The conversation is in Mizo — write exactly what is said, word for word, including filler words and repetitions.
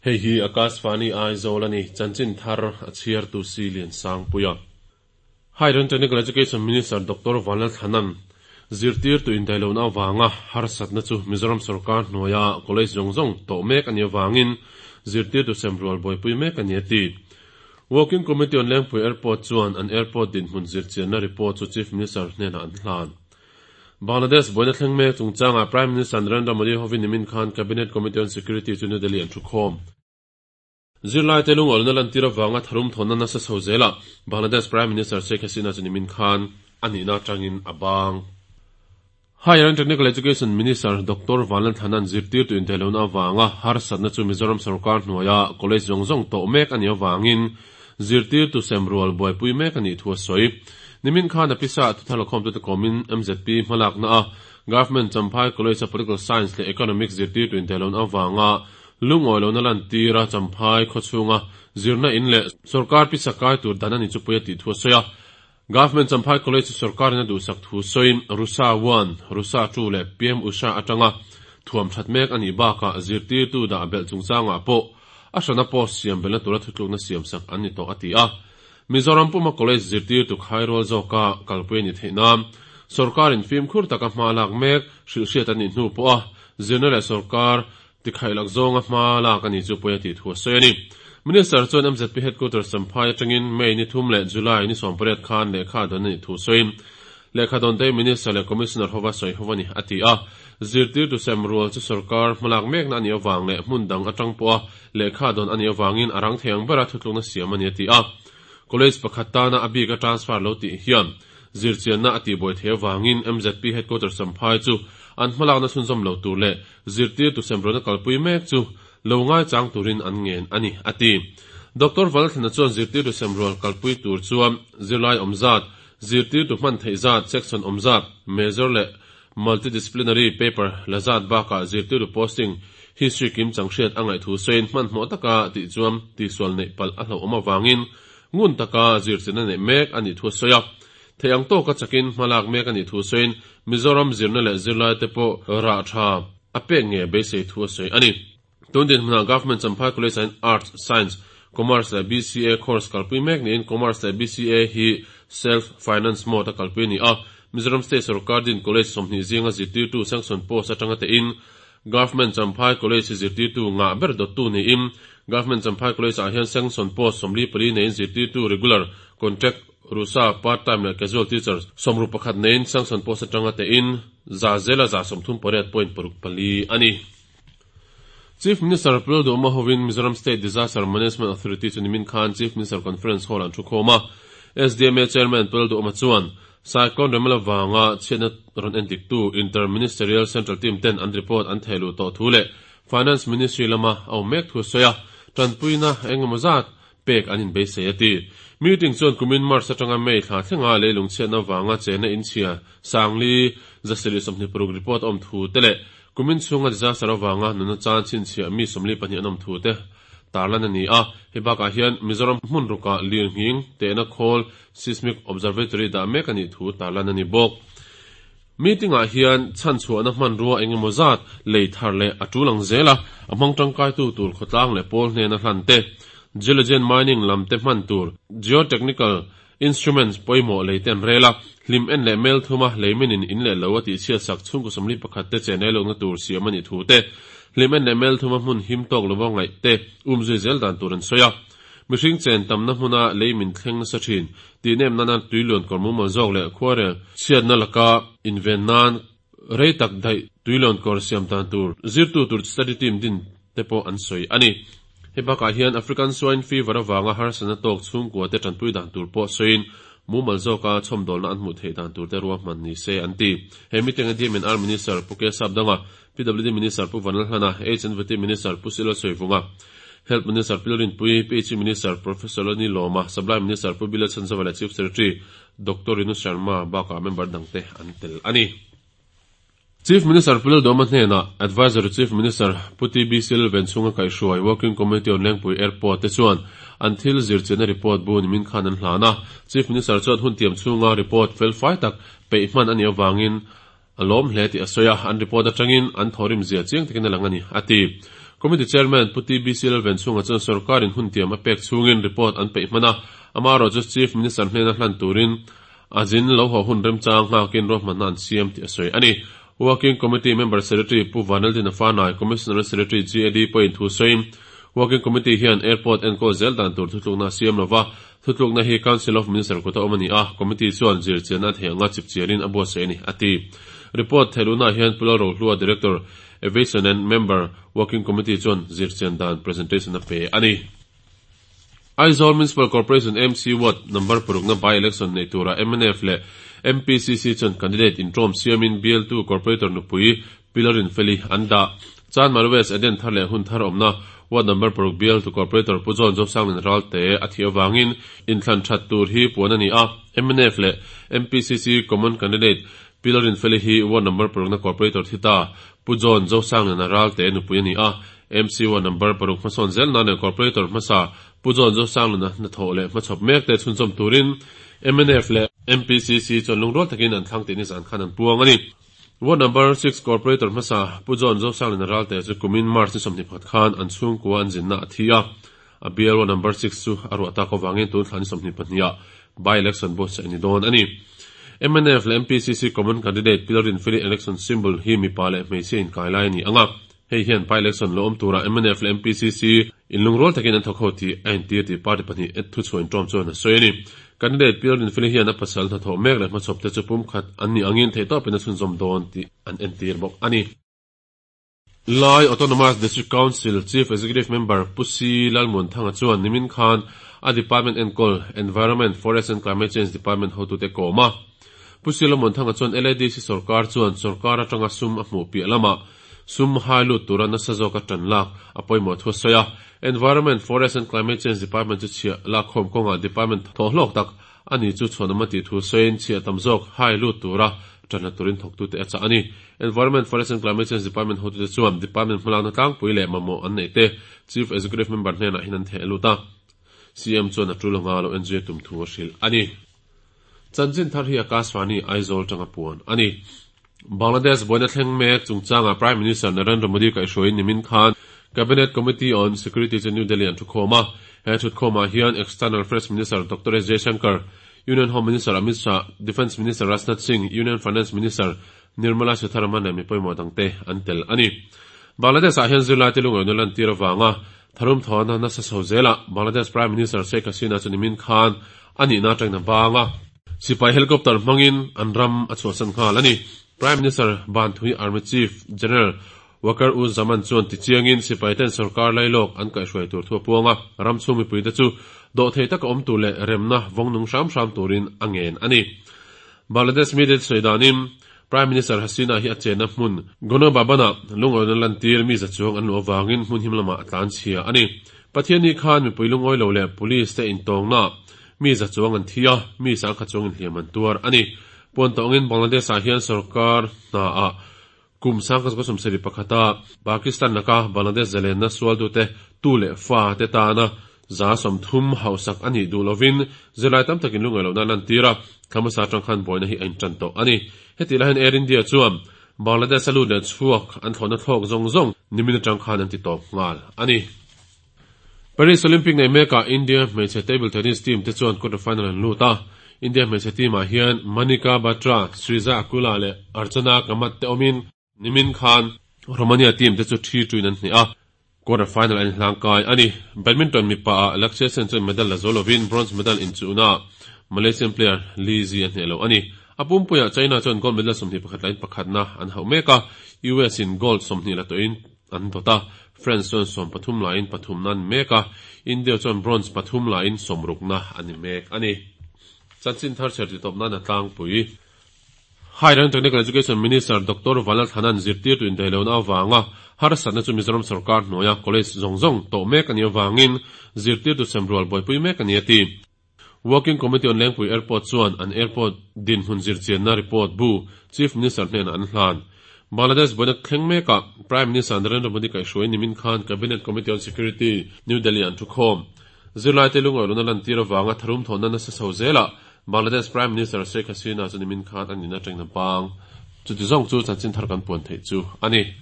Hei hi Akashvani Aizawl a ni, chanchin thar a chhiartu si Lian Sangpuia. Higher and Technical Education Minister Doctor Vanlalthlana'n zirtirtu indaihlohna avanga harsatna chu Mizoram sorkar hnuaia college zawng zawng tawh mek a nih avangin zirtirtu semrual buaipui mek a ni a ti. Working Committee on Lengpui Airport chuan an airport dinhmun zirchianna report chu Chief Minister hnenah an hlan. Bangladesh buaina thleng mek chungchangah Prime Minister Narendra Modi hovin nimin khan Cabinet Committee on Security chu New Delhi an thukhawm. Zirlaite lungawlna lantir avanga tharum thawnna nasa chho zelah Bangladesh Prime Minister Sheikh Hasina chu nimin khan a nihna atangin a bang. Higher and Technical Education Minister Doctor Vanlalthlana'n zirtirtu indaihlohna avanga harsatna chu Mizoram sorkar hnuaia college zawng zawng tawh mek a nih avangin zirtirtu semrual buaipui mek a nih thu a sawi. Nimin khan a pisa thuthar lakhawmtute kawmin M Z P hmalakna a Government Champhai College a Political Science leh Economics zirtirtu indaihlohna avanga lungawilohna lantira Champhai khawchhunga zirna in leh sorkar pisa kai tur dan a ni chu pui a tih thu a sawi a. Government Champhai College sorkarin a duhsak thu sawiin Rusa one, Rusa two leh P M Usha atanga thuam that mek a nih bakah zirtirtu dah belh chungchangah pawh a hrana post siam belhna tura thutlukna siam sak an ni tawh a ti a. Mizoram puma college zirtirtu khairual zawka kalpui a ni theih nan sorkarin fimkhur taka hma lak mek hrilhhriat a nih hnu pawh a zirna leh sorkar tikhailak zawnga hma lak a ni chu pawi a tih thu a sawi a ni. Minister chuan M Z P headquarters Champhai atangin May ni thum leh July ni sawmpariat khan lehkha dawn a nih thu sawiin lehkha dawn te Minister leh Commissioner hova sawi ho a ni a ti a. Zirtirtu semrual chu sorkar hmalak mekna a nih avang leh hmun dang atang pawh a lehkha dawn a nih avangin a rang thei ang bera thutlukna siam a ni a ti a. College pakhat tana a bika transfer lo tih hian zirchianna a tihbuai thei avangin M Z P headquarters Champhai chu an hmalakna chhunzawm lo tur leh zirtirtu semrualna kalpui mek chu lo ngai chang turin an ngen a ni a ti. Doctor Vanlalthlana chuan zirtirtu semrual kalpui tur chuan zirlai awm zat, zirtirtu hman theih zat, section awm zat, major leh multidisciplinary paper la zat bakah zirtirtu posting history kim chang hriat a ngaih thu sawiin hmanhmawh taka tih chuan tihsual neih palh a hlauhawm avangin ngun taka zirchianna neih mek a nih thu a sawi a. Thei ang tawka chakin hmalak mek a nih thu sawiin Mizoram zirna leh zirlaite pawh rah tha a pek nge beisei thu a sawi a ni. Tun dinhmunah Government Champhai College ah Arts, Science, Commerce leh B C A course kalpui mek niin Commerce leh B C A hi self finance mode a kalpui a ni a. Mizoram State sorkar din college sawmhnih zinga zirtirtu sanction post atanga te in Government Champhai College zirtirtu ngah ber dawttu niin Government Champhai College ah hian sanction post sawmli pali neiin zirtirtu regular, contract, Rusa, part time leh casual teachers sawmruk pakhat neiin sanction post atanga te in za zela za sawmthum pariat point paruk pali a ni. Chief Minister Pu Lalduhoma hovin Mizoram State Disaster Management Authority chu nimin khan Chief Minister Conference Hall an thukhawm a. S D M A Chairman Pu Lalduhoma chuan Cyclone Remal avanga chhiatna rawn entiktu Inter-Ministerial Central Team ten an report an thehluh tawh thu leh Finance Ministry lama a awm mek thu a sawi a, tanpuina engemaw zat pek an inbeisei a ti. Meeting chuan kumin March atanga May thla thlenga leilung chhiatna avanga chena inchhia sangli zasarih sawmhnih paruk report a awm thu te leh kumin chhunga disaster avanga nuna chan chhinchhiah mi sawmli pahnih an awm thu te tarlan a ni a. Hei bakah hian Mizoram hmun ruka lirnghing tehna khawl Seismic Observatory dah mek a nih thu tarlan a ni bawk. Meeting ah hian chhanchhuahna hmanrua engemaw zat lei thar leh a tul ang zel a, a hmang tangkaitu tur khawtlang leh pawl hnena hlan te, geology mining lam te hman tur geotechnical instruments pawimawh lei te an rel a, hlim en leh mel thuma leiminin in leh lo a tihchhiat sak chhungkaw sawmli pakhat te chen ei lohna tur siam a nih thu te, hlim en leh mel thuma hmun him tawk lova ngaih te umzui zel dan tur an sawi a. Mihring chen tamna hmuna leimin thleng nasa thin tih nem nana tuiluan kawr mumal zawk leh khuarel chhiatna laka inven nan rei tak daih tuiluan kawr siam dan tur zirtu tur study team din te pawh an sawi a ni. Hei bakah hian African swine fever avanga harsatna tawk chhungkua te tanpui dan tur pawh sawiin mumal zawka chhawmdawlna an hmuh theih dan tur te ruahman ni se an ti. He meeting a D M and R Minister Pu K Sapdanga, P W D Minister Pu Vanlalhlana, H and V T Minister Pu C Lalsawivunga, Health Minister Pi Lalrinpuii, P H E Minister Professor Lalnilawma, Supply Minister Pu B Lalchhanzova leh Chief Secretary Doctor Rinu Sharma bakah member dangte an tel a ni. Chief Minister Pu Lalduhoma hnenah Advisory Chief Minister Pu T B C Lalvenchhunga kaihhruai Working Committee on Lengpui Airport te chuan an thil zirchianna report bu nimin khan an hlan a. Chief Minister chuan hun tiam chhunga report fel fai tak peih hman a nih avangin a lawm hle tih a sawi a, an report atangin an thawrim zia chiang takin a lang a ni a ti. Committee Chairman Pu T B C Lalvenchhunga chuan sorkarin hun tiam a pek chhungin report an peih hman a, amaherawhchu Chief Minister hnena hlan turin a zin lo haw hun remchang nghakin ruahmanna an siam tih a sawi a ni. Working Committee Member Secretary Pu Vanaldina Fanai, Commissioner Secretary G A D pawhin thu sawiin Working Committee hian airport enkawl zel dan tur thutlukna a siam lova, thutlukna hi Council of Minister kuta awm a ni a, Committee chuan zirchianna a theih anga chipchiarin a buatsaih a ni, a ti. Report theihluhnaah hian Pu Lalrohlua, Director, Aviation and Member, Working Committee chuan zirchian dan presentation a pe a ni. Aizawl Municipal Corporation, M C, Ward number parukna by-election nei tura M N F leh M P C C chuan candidate intawm siamin bialtu corporator nupui Pi Lalrinfeli an dah. Chanmari West Eden thar leh hun thar awmna Ward number paruk bialtu corporator Pu John Zosanglin Ralte a thih avangin inthlan that tur hi puan a ni a. M N F leh M P C C common candidate Pi Lalrinfeli hi Ward number parukna corporator thi ta Pu John Zosanglin Ralte nupui a ni a. M C Ward number paruk hmasawn zel nan leh corporator hmasa Pu John Zosanglin hnathawh leh hmachhawp mek te chhunzawm turin M N F leh M P C C chuan lungrual takin an thlang tih ni zan khan an puang a ni. Ward number six corporator hmasa Pu John Zosanglin Ralte chu kumin March ni sawmhnih pakhat khan an chhungkua an zinna a thi a. A bial Ward number six chu a ruah tak avangin tun thla ni sawmhnih pahnih by election buatsaih ni dawn a ni. M N F leh M P C C common candidate Pi Lalrinfeli election symbol hi mipa leh hmeichhia inkai lai a ni anga. Hei hian by election lo awm tura M N F leh M P C C in lungrual takin an thawk ho tih a intir tih party pahnih thu chhuah intawm chuan a sawi a ni. Candidate Pi Lalrinfeli hian a pasal hnathawh mek leh hmachhawp te chu pumkhat an ni angin theihtawpin a chhunzawm dawn tih an entir bawk a ni. Lai Autonomous District Council Chief Executive Member Pu C Lalmuanthanga chuan nimin khan a department enkawl Environment, Forest and Climate Change Department hotute kawm a. Pu C Lalmuanthanga chuan L A D C sorkar chuan sorkar atanga sum a hmuh piah lamah sum hai lut tura nasa zawk a tan lak a pawimawh thu a sawi a. Environment, Forest and Climate Change Department chu chhiah lak khawm kawnga department thawh hlawk tak ani chu chhuanawm a tih thu sawiin chhiah tam zawk hai lut tura tan la turin thawktute a chah a ni. Environment, Forest and Climate Change Department hotute chuan department hmalakna tlangpui leh mamawh an nei te Chief Executive Member hnenah hin an theh lut a. C M chuan a tul anga lo en zui tum thu a hrilh a ni. Chanchin thar hi Akashvani Aizawl tanga puan a ni. Bangladesh buaina thleng mek chungchanga Prime Minister Narendra Modi kaihhruaiin nimin khan Cabinet Committee on Security chu New Delhi an thu khawm a. He thut khawmah hian External Affairs Minister Doctor S Jaishankar, Union Home Minister Amit Shah, Defence Minister Rajnath Singh, Union Finance Minister Nirmala Sitharaman leh mi pawimawh dangte an tel a ni. Bangladesh ah hian zirlai te lungawi lan tir awanga tharum thawna nasa chho zela Bangladesh Prime Minister Sheikh Hasina chu nimin khan ani na tangna banga sipai helicopter hmangin an ram a chhuahsan nghal a ni. Prime Minister ban thui Army Chief General Wakar uz Zaman chuan tichiangin sipai ten sarkar lailawk an kaihhruai tur thu a puanga ram chhung mipui te chu dawh thei taka awm tur leh remna vawng nung hram hram turin a ngen a ni. Bangladesh media sawidanin Prime Minister Hasina hi a chena hmun Gonobabana lungawina lantir mi za chuang an lu awangin hmun him lamah a tlan chhia a ni. Pathian ni khan mipui lungawi lo leh police te intawngna mi za chuang an thi a, mi sangkhat chuangin hliam an tuar a ni. Puan tawngin Bangladesh ah hian sarkar hna a kum sangkhat ko sawmsarih pakhata Pakistan laka Bangladesh zalenna sual tu te tu leh fa te tana za sawmthum hausak ani duh lovin zirlai tam takin lungawi lohna lan tir a, thlamasa atang khan buaina hi a intan tawh a ni. Heti lahin Air India chuan Bangladesh a lut leh chhuak an thlawhna thlawk zawng zawng nimin atang khan an ti tawp nghal a ni. Paris Olympic nei mekah India hmeichhe table tennis team te chuan quarter final an lut a. India hmeichhe team ah hian Manika Batra, Sreeja Akula leh Archana Kamath te awmin nimin khan Romania team te chu three two in an hnih a, quarter final an hlang kai a ni. Badminton mipa ah Lakshya Sen chuan medal la zo lovin bronze medal in chuna Malaysian player Lee Ji a hneh lo a ni. A pumpuiah China chuan gold medal sawmhnih pakhat lain pakhatna an hauh mek a, U S in gold sawmhnih la tawhin an dawt a, France chuan sawm pathum lain pathum na an mek a, India chuan bronze pathum lain sawmrukna ani mek a ni. Chanchin thar chher ti tawp nan a tlangpui. Higher and Technical Education Minister Doctor Vanlalthlana'n zirtirtu indaihlohna avanga harsatna chu Mizoram sarkar hnuaia college zawng zawng tawh mek ani avangin zirtirtu semrual buaipui mek ani a ti. Working Committee on Lengpui Airport chuan an airport dinhmun zirchianna report bu Chief Minister hnenah an hlan. Bangladesh buaina thleng mekah Prime Minister Narendra Modi kaihhruai nimin khan Cabinet Committee on Security New Delhi an thu khawm. Zirlai te lungawi lohna lan tir awanga tharum thawhna nasa chho zelah Bangladesh Prime Minister Sheikh Hasina chu nimin khan an in atangna bang. Chuti zawng chu chanchin thar kan puan theih chu a ni.